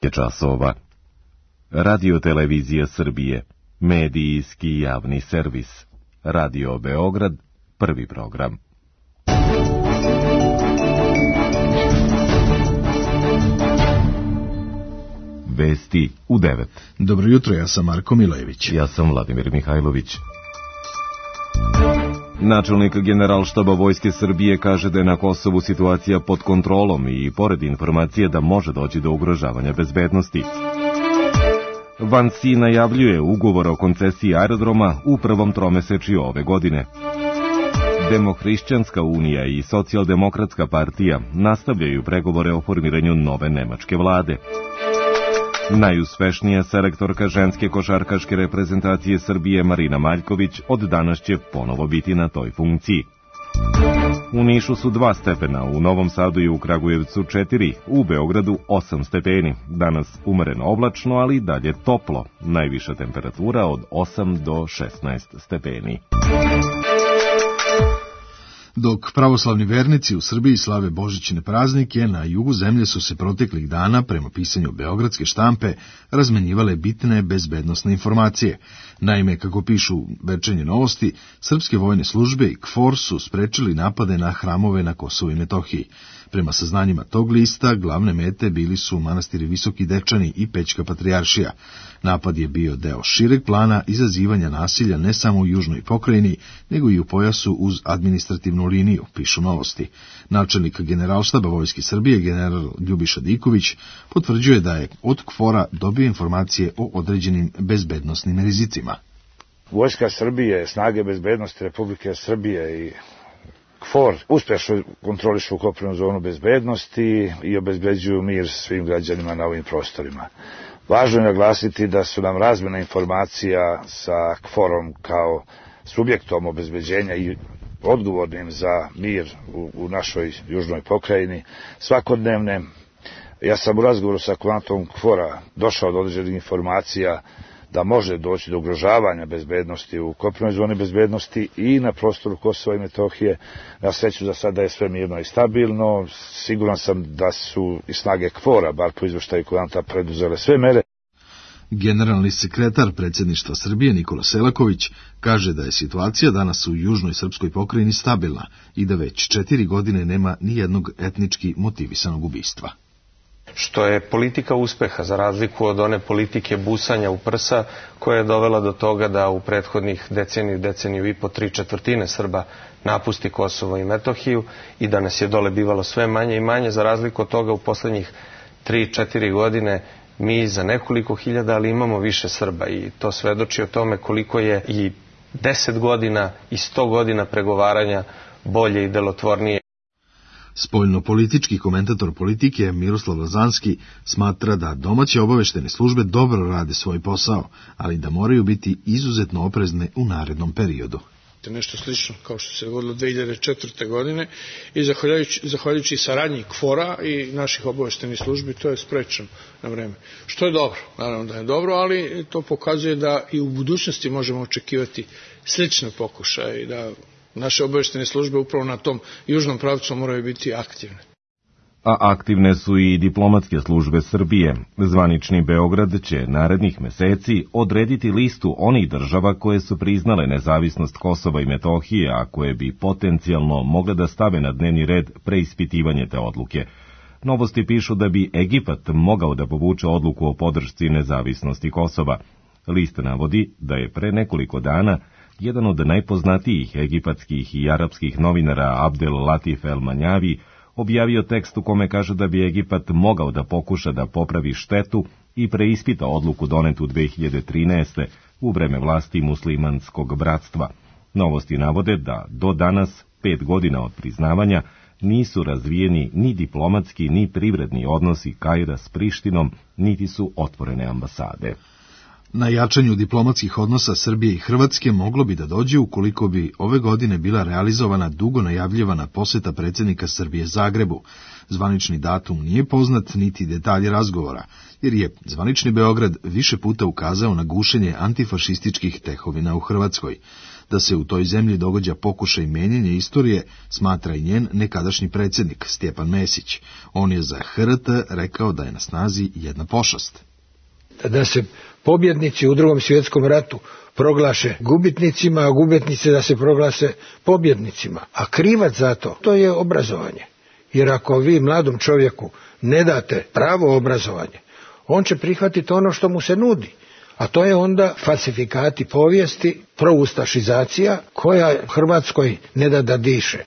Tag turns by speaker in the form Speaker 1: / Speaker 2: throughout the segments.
Speaker 1: je časova. Radio Televizija Srbije, medijski javni servis. Radio Beograd, prvi program. Vesti u 9.
Speaker 2: Dobro jutro, ja sam Marko Milojević.
Speaker 1: Ja sam Vladimir Mihajlović. Načelnik Generalštaba Vojske Srbije kaže da je na Kosovu situacija pod kontrolom i pored informacije da može doći do ugrožavanja bezbednosti. Vansi najavljuje ugovor o koncesiji aerodroma u prvom tromesečju ove godine. Demohrišćanska unija i Socijaldemokratska partija nastavljaju pregovore o formiranju nove nemačke vlade. Najuspešnija selektorka ženske košarkaške reprezentacije Srbije Marina Maljković od danas će ponovo biti na toj funkciji. U Nišu su 2 stepena, u Novom Sadu i u Kragujevcu 4, u Beogradu 8 stepeni. Danas umereno oblačno, ali dalje toplo. Najviša temperatura od 8 do 16 stepeni.
Speaker 2: Dok pravoslavni vernici u Srbiji slave božićne praznike, na jugu zemlje su se proteklih dana, prema pisanju beogradske štampe, razmenjivale bitne bezbednosne informacije. Naime, kako pišu Večernje novosti, srpske vojne službe i KFOR su sprečili napade na hramove na Kosovu i Metohiji. Prema saznanjima tog lista, glavne mete bili su manastiri Visoki Dečani i Pećka patrijaršija. Napad je bio deo šireg plana izazivanja nasilja ne samo u južnoj pokrajini, nego i u pojasu uz administrativnu liniju, pišu novosti. Načelnik Generalštaba Vojske Srbije, general Ljubiša Diković, potvrđuje da je od KFOR-a dobio informacije o određenim bezbednosnim rizicima.
Speaker 3: Vojska Srbije, snage bezbednosti Republike Srbije i KFOR uspešno kontrolišu kopnenu zonu bezbednosti i obezbeđuju mir svim građanima na ovim prostorima. Važno je naglasiti da su nam razmjena informacija sa KFOR-om kao subjektom obezbeđenja i odgovornim za mir u našoj južnoj pokrajini svakodnevne. Ja sam u razgovoru sa komandantom KFOR-a došao do određenih informacija da može doći do ugrožavanja bezbednosti u kopnenoj zoni bezbednosti i na prostoru Kosova i Metohije. Na sreću za sada je sve mirno i stabilno. Siguran sam da su i snage KFOR-a, bar po izveštaju komandanta, preduzele sve mere.
Speaker 2: Generalni sekretar predsjedništva Srbije Nikola Selaković kaže da je situacija danas u južnoj srpskoj pokrajini stabilna i da već 4 godine nema ni jednog etnički motivisanog ubistva.
Speaker 4: Što je politika uspeha, za razliku od one politike busanja u prsa, koja je dovela do toga da u prethodnih deceniju i po 3/4 Srba napusti Kosovo i Metohiju i da nas je dole bivalo sve manje i manje. Za razliku od toga u poslednjih 3-4 godine mi za nekoliko hiljada, ali imamo više Srba i to svedoči o tome koliko je i 10 godina i 100 godina pregovaranja bolje i delotvornije.
Speaker 2: Spoljno-politički komentator politike Miroslav Lazanski smatra da domaće obaveštene službe dobro rade svoj posao, ali da moraju biti izuzetno oprezne u narednom periodu.
Speaker 5: Nešto slično kao što se dogodilo 2004. godine i zahvaljujući saradnji KFOR-a i naših obaveštenih službi to je sprečeno na vreme. Što je dobro, naravno da je dobro, ali to pokazuje da i u budućnosti možemo očekivati slične pokušaje i da naše obaveštene službe upravo na tom južnom pravcu moraju biti aktivne.
Speaker 1: A aktivne su i diplomatske službe Srbije. Zvanični Beograd će narednih meseci odrediti listu onih država koje su priznale nezavisnost Kosova i Metohije, a koje bi potencijalno mogle da stave na dnevni red preispitivanje te odluke. Novosti pišu da bi Egipat mogao da povuče odluku o podršci nezavisnosti Kosova. List navodi da je pre nekoliko dana jedan od najpoznatijih egipatskih i arapskih novinara Abdel Latif El Manjavi objavio tekst u kome kaže da bi Egipat mogao da pokuša da popravi štetu i preispita odluku donetu 2013. u vreme vlasti muslimanskog bratstva. Novosti navode da do danas, 5 godina od priznavanja, nisu razvijeni ni diplomatski ni privredni odnosi Kaira s Prištinom, niti su otvorene ambasade.
Speaker 2: Na jačanju diplomatskih odnosa Srbije i Hrvatske moglo bi da dođe ukoliko bi ove godine bila realizovana dugo najavljivana poseta predsjednika Srbije Zagrebu. Zvanični datum nije poznat niti detalji razgovora, jer je zvanični Beograd više puta ukazao na gušenje antifašističkih tehovina u Hrvatskoj. Da se u toj zemlji događa pokušaj menjanja istorije, smatra i njen nekadašnji predsjednik Stjepan Mesić. On je za HRT rekao da je na snazi jedna pošast.
Speaker 6: Da se pobjednici u Drugom svjetskom ratu proglaše gubitnicima, a gubitnici da se proglase pobjednicima. A krivac za to je obrazovanje. Jer ako vi mladom čovjeku ne date pravo obrazovanje, on će prihvatiti ono što mu se nudi. A to je onda falsifikati povijesti, proustašizacija koja Hrvatskoj ne da diše.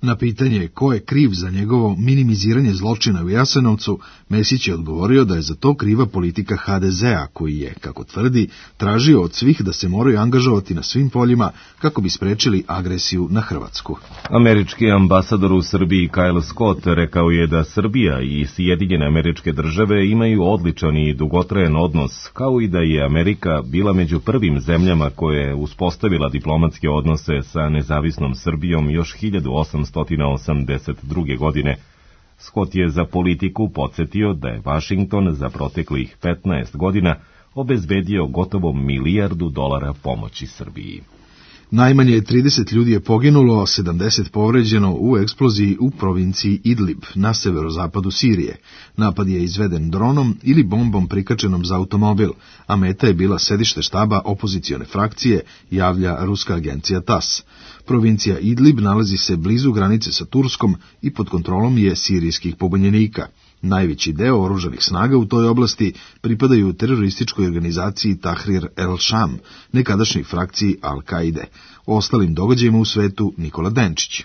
Speaker 2: Na pitanje ko je kriv za njegovo minimiziranje zločina u Jasenovcu, Mesić je odgovorio da je za to kriva politika HDZ-a, koji je, kako tvrdi, tražio od svih da se moraju angažovati na svim poljima kako bi sprečili agresiju na Hrvatsku.
Speaker 1: Američki ambasador u Srbiji Kyle Scott rekao je da Srbija i Sjedinjene Američke Države imaju odličan i dugotrajan odnos, kao i da je Amerika bila među prvim zemljama koje je uspostavila diplomatske odnose sa nezavisnom Srbijom još 1882. godine. Scott je za Politiku podsjetio da je Vašington za proteklih 15 godina obezbedio gotovo $1 milijardu pomoći Srbiji.
Speaker 2: Najmanje 30 ljudi je poginulo, a 70 povređeno u eksploziji u provinciji Idlib na severozapadu Sirije. Napad je izveden dronom ili bombom prikačenom za automobil, a meta je bila sedište štaba opozicione frakcije, javlja ruska agencija TASS. Provincija Idlib nalazi se blizu granice sa Turskom i pod kontrolom je sirijskih pobunjenika. Najveći deo oružanih snaga u toj oblasti pripadaju terorističkoj organizaciji Tahrir el-Sham, nekadašnjoj frakciji Al-Kaide. O ostalim događajima u svetu Nikola Denčić.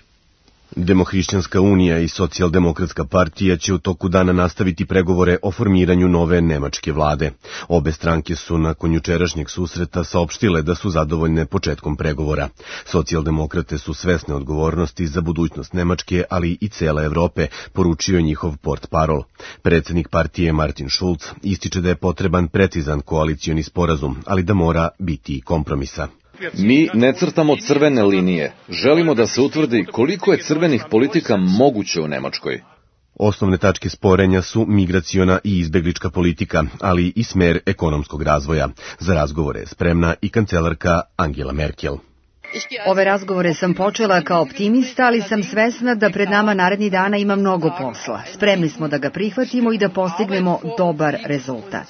Speaker 7: Demohrišćanska unija i socijaldemokratska partija će u toku dana nastaviti pregovore o formiranju nove nemačke vlade. Obe stranke su nakon jučerašnjeg susreta saopštile da su zadovoljne početkom pregovora. Socijaldemokrate su svesne odgovornosti za budućnost Nemačke, ali i cele Evrope, poručio njihov portparol. Predsjednik partije Martin Schulz ističe da je potreban precizan koalicioni sporazum, ali da mora biti i kompromisa.
Speaker 8: Mi ne crtamo crvene linije. Želimo da se utvrdi koliko je crvenih politika moguće u Nemačkoj.
Speaker 7: Osnovne tačke sporenja su migraciona i izbeglička politika, ali i smer ekonomskog razvoja. Za razgovore je spremna i kancelarka Angela Merkel.
Speaker 9: Ove razgovore sam počela kao optimista, ali sam svesna da pred nama narednih dana ima mnogo posla. Spremni smo da ga prihvatimo i da postignemo dobar rezultat.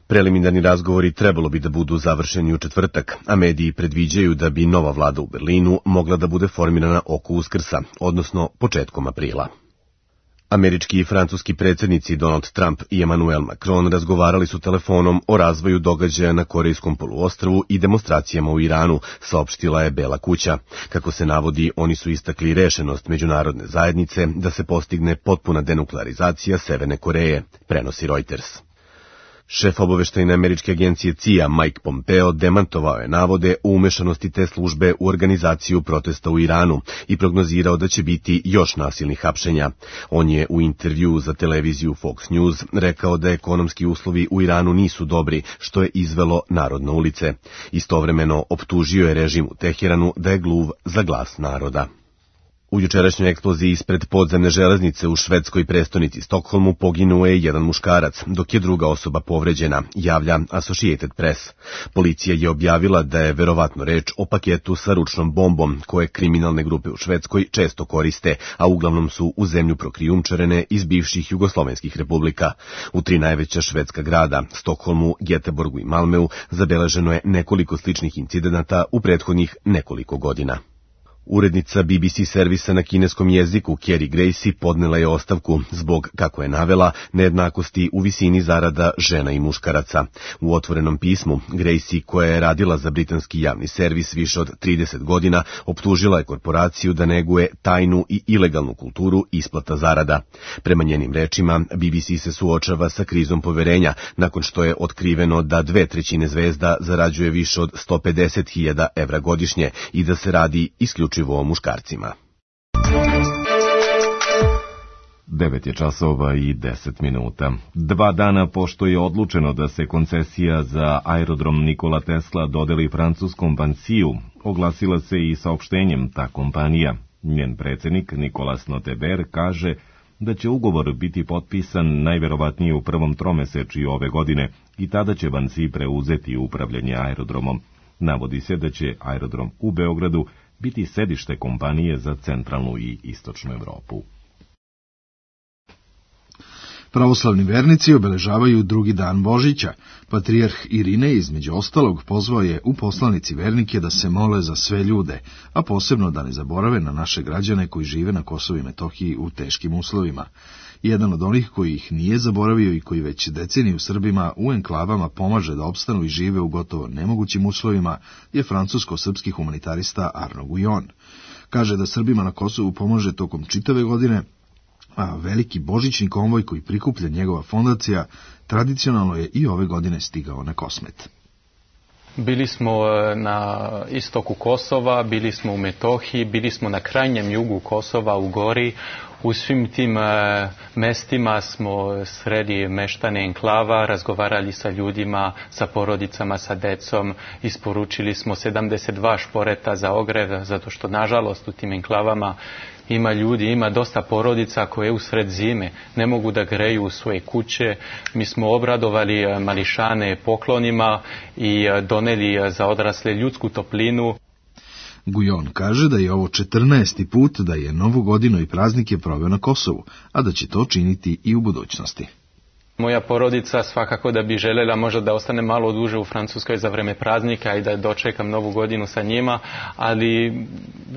Speaker 7: Preliminarni razgovori trebalo bi da budu završeni u četvrtak, a mediji predviđaju da bi nova vlada u Berlinu mogla da bude formirana oko Uskrsa, odnosno početkom aprila. Američki i francuski predsjednici Donald Trump i Emmanuel Macron razgovarali su telefonom o razvoju događaja na Korejskom poluostrvu i demonstracijama u Iranu, saopštila je Bela kuća. Kako se navodi, oni su istakli rešenost međunarodne zajednice da se postigne potpuna denuklearizacija Severne Koreje, prenosi Reuters. Šef obaveštajne američke agencije CIA Mike Pompeo demantovao je navode o umešanosti te službe u organizaciju protesta u Iranu i prognozirao da će biti još nasilnih hapšenja. On je u intervjuu za televiziju Fox News rekao da ekonomski uslovi u Iranu nisu dobri, što je izvelo narod na ulice. Istovremeno optužio je režim u Teheranu da je gluv za glas naroda. U jučerašnjoj eksploziji ispred podzemne železnice u švedskoj prestonici Stokholmu poginuo je jedan muškarac, dok je druga osoba povređena, javlja Associated Press. Policija je objavila da je verovatno reč o paketu sa ručnom bombom, koje kriminalne grupe u Švedskoj često koriste, a uglavnom su u zemlju prokrijumčarene iz bivših jugoslovenskih republika. U 3 najveća švedska grada, Stokholmu, Göteborgu i Malmeu, zabeleženo je nekoliko sličnih incidenata u prethodnih nekoliko godina. Urednica BBC servisa na kineskom jeziku Carrie Gracie podnela je ostavku zbog, kako je navela, nejednakosti u visini zarada žena i muškaraca. U otvorenom pismu, Gracie, koja je radila za britanski javni servis više od 30 godina, optužila je korporaciju da neguje tajnu i ilegalnu kulturu isplata zarada. Prema njenim rečima, BBC se suočava sa krizom poverenja, nakon što je otkriveno da 2/3 zvezda zarađuje više od 150.000 evra godišnje i da se radi isključivo o muškarcima.
Speaker 1: 9 je časova i 10 minuta. 2 dana pošto je odlučeno da se koncesija za aerodrom Nikola Tesla dodeli francuskom Vinci-u, oglasila se i saopštenjem ta kompanija. Njen predsjednik Nicolas Noteber kaže da će ugovor biti potpisan najverovatnije u prvom tromesečju ove godine i tada će Vinci preuzeti upravljanje aerodromom. Navodi se da će aerodrom u Beogradu biti sedište kompanije za centralnu i istočnu Evropu.
Speaker 2: Pravoslavni vernici obeležavaju drugi dan Božića. Patrijarh Irinej između ostalog pozvao je u poslanici vernike da se mole za sve ljude, a posebno da ne zaborave na naše građane koji žive na Kosovu i Metohiji u teškim uslovima. Jedan od onih koji ih nije zaboravio i koji već deceniju Srbima u enklavama pomaže da opstanu i žive u gotovo nemogućim uslovima je francusko-srpski humanitarista Arno Gujon. Kaže da Srbima na Kosovu pomaže tokom čitave godine, a veliki božićni konvoj koji prikuplja njegova fondacija tradicionalno je i ove godine stigao na Kosmet.
Speaker 10: Bili smo na istoku Kosova, bili smo u Metohiji, bili smo na krajnjem jugu Kosova u Gori. U svim tim mestima smo sredi meštane enklava, razgovarali sa ljudima, sa porodicama, sa decom, isporučili smo 72 šporeta za ogrev, zato što nažalost u tim enklavama ima ljudi, ima dosta porodica koje usred zime ne mogu da greju u svoje kuće. Mi smo obradovali mališane poklonima i doneli za odrasle ljudsku toplinu.
Speaker 2: Gujon kaže da je ovo 14. put da je Novu godinu i praznike proveo na Kosovu, a da će to činiti i u budućnosti.
Speaker 10: Moja porodica svakako da bi želela možda da ostane malo duže u Francuskoj za vreme praznika i da dočekam Novu godinu sa njima, ali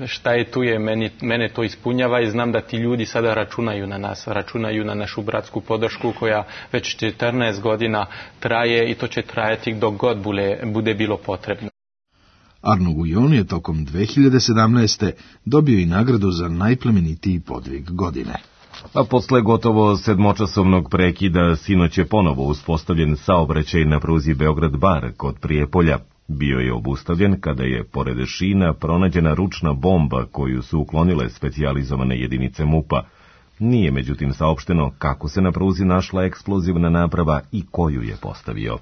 Speaker 10: šta je tu je, mene to ispunjava i znam da ti ljudi sada računaju na nas, računaju na našu bratsku podršku koja već 14 godina traje i to će trajati dok god bude bilo potrebno.
Speaker 2: Arno Gujon je tokom 2017. dobio i nagradu za najplemenitiji podvig godine.
Speaker 1: A posle gotovo 7-časovnog prekida sinoć je ponovo uspostavljen saobraćaj na pruzi Beograd-Bar kod Prijepolja. Bio je obustavljen kada je pored šina pronađena ručna bomba koju su uklonile specijalizovane jedinice MUP-a. Nije međutim saopšteno kako se na pruzi našla eksplozivna naprava i koju je postavio.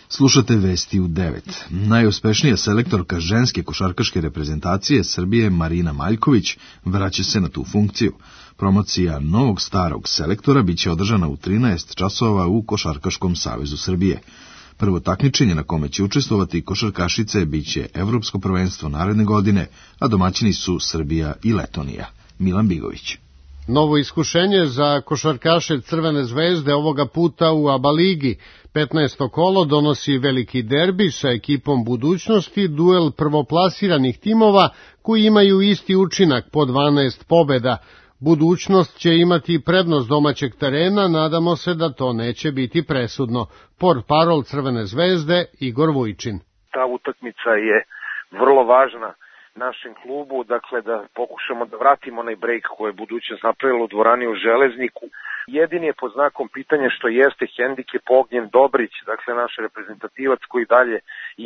Speaker 2: Slušate vesti u 9. Najuspešnija selektorka ženske košarkaške reprezentacije Srbije Marina Maljković vraća se na tu funkciju. Promocija novog starog selektora biće održana u 13 časova u Košarkaškom savezu Srbije. Prvo takmičenje na kome će učestvovati košarkašice biće Evropsko prvenstvo naredne godine, a domaćini su Srbija i Letonija. Milan Bigović.
Speaker 11: Novo iskušenje za košarkaše Crvene zvezde ovoga puta u ABA ligi. 15. kolo donosi veliki derbi sa ekipom budućnosti, duel prvoplasiranih timova koji imaju isti učinak po 12 pobeda. Budućnost će imati prednost domaćeg terena, nadamo se da to neće biti presudno. Portparol Crvene zvezde Igor Vujčin.
Speaker 12: Ta utakmica je vrlo važna našem klubu, dakle da pokušamo da vratimo onaj brejk koji je budućnost napravila u dvorani u Železniku. Jedini je pod znakom pitanja što jeste hendikep Ognjen Dobrić, dakle naš reprezentativac koji dalje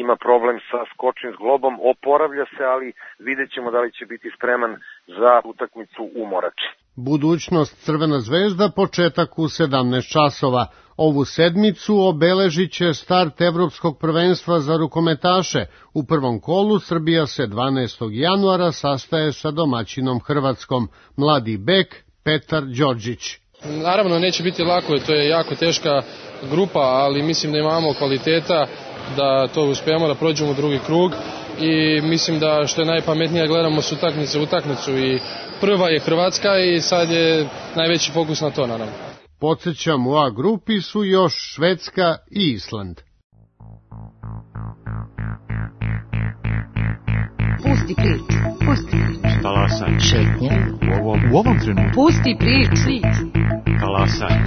Speaker 12: ima problem sa skočnim zglobom, oporavlja se, ali vidjet ćemo da li će biti spreman za utakmicu u Morači.
Speaker 11: Budućnost Crvena zvezda početak u 17 časova. Ovu sedmicu obeležit će start Evropskog prvenstva za rukometaše. U prvom kolu Srbija se 12. januara sastaje sa domaćinom Hrvatskom. Mladi bek Petar Đorđić.
Speaker 13: Naravno neće biti lako, to je jako teška grupa, ali mislim da imamo kvaliteta da to uspijemo, da prođemo u drugi krug i mislim da što je najpametnije gledamo s utakmice u utakmicu i prva je Hrvatska i sad je najveći fokus na to naravno.
Speaker 11: Podsjećam, u A grupi su još Švedska i Island.
Speaker 14: Pusti priču, pusti priču.
Speaker 15: Talasaj.
Speaker 14: Šetnja.
Speaker 15: U ovom trenutku.
Speaker 14: Pusti priču.
Speaker 15: Talasaj.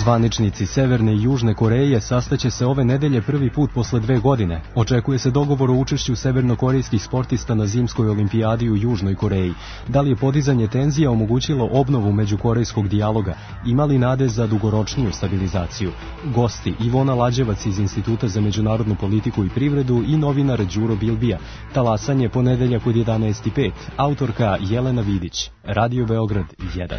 Speaker 16: Zvaničnici Severne i Južne Koreje sastaće se ove nedelje prvi put posle 2 godine. Očekuje se dogovor o učešću severnokorejskih sportista na zimskoj olimpijadi u Južnoj Koreji. Da li je podizanje tenzija omogućilo obnovu međukorejskog dijaloga? Ima li nade za dugoročniju stabilizaciju? Gosti Ivona Lađevac iz Instituta za međunarodnu politiku i privredu i novinar Đuro Bilbija. Talasanje ponedeljak od 11:05. Autorka Jelena Vidić. Radio Beograd 1.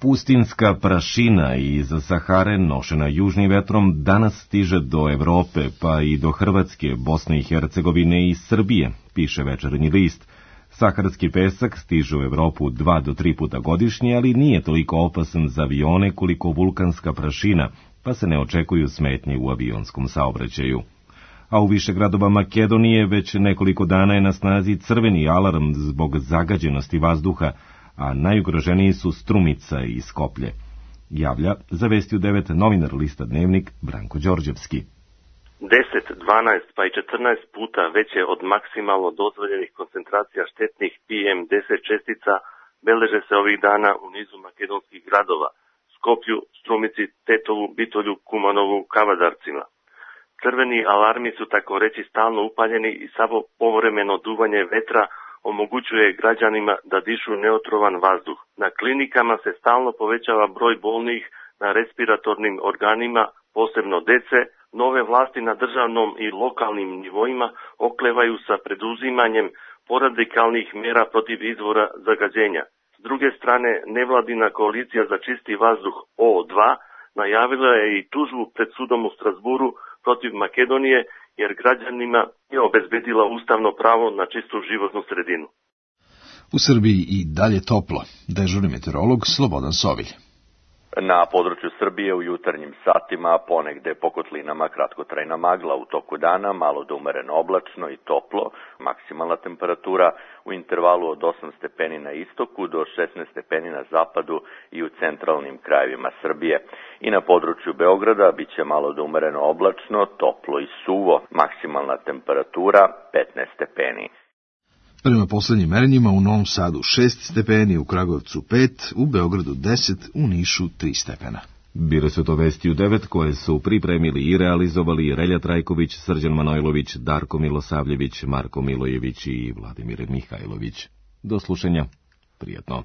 Speaker 1: Pustinska prašina iz Sahare, nošena južnim vetrom, danas stiže do Evrope, pa i do Hrvatske, Bosne i Hercegovine i Srbije, piše Večernji list. Saharski pesak stiže u Evropu 2 do 3 puta godišnje, ali nije toliko opasan za avione koliko vulkanska prašina, pa se ne očekuju smetnje u avionskom saobraćaju. A u više gradova Makedonije već nekoliko dana je na snazi crveni alarm zbog zagađenosti vazduha, a najugroženiji su Strumica i Skoplje. Javlja za Vesti u 9 novinar lista Dnevnik Branko Đorđevski.
Speaker 17: 10, 12 pa i 14 puta veće od maksimalno dozvoljenih koncentracija štetnih PM10 čestica beleže se ovih dana u nizu makedonskih gradova, Skoplju, Strumici, Tetovu, Bitolju, Kumanovu, Kavadarcima. Crveni alarmi su tako reći stalno upaljeni i samo povremeno duvanje vetra omogućuje građanima da dišu neotrovan vazduh. Na klinikama se stalno povećava broj bolnih na respiratornim organima, posebno dece. Nove vlasti na državnom i lokalnim nivoima oklevaju sa preduzimanjem poradikalnih mera protiv izvora zagađenja. S druge strane, nevladina koalicija za čisti vazduh O2 najavila je i tužbu pred sudom u Strasburu protiv Makedonije, jer građanima je obezbedila ustavno pravo na čistu životnu sredinu.
Speaker 2: U Srbiji i dalje toplo. Dežurni meteorolog Slobodan Sovilj.
Speaker 18: Na području Srbije u jutarnjim satima ponegde po kotlinama kratkotrajna magla, u toku dana malo do umereno oblačno i toplo, maksimalna temperatura u intervalu od 8 stepeni na istoku do 16 stepeni na zapadu i u centralnim krajevima Srbije. I na području Beograda bit će malo do umereno oblačno, toplo i suvo, maksimalna temperatura 15 stepeni.
Speaker 2: Prema poslednjim merenjima u Novom Sadu 6 stepeni, u Kragujevcu 5, u Beogradu 10, u Nišu 3 stepena.
Speaker 1: Bile su to Vesti u 9 koje su pripremili i realizovali Relja Trajković, Srđan Manojlović, Darko Milosavljević, Marko Milojević i Vladimir Mihajlović. Do slušanja. Prijatno.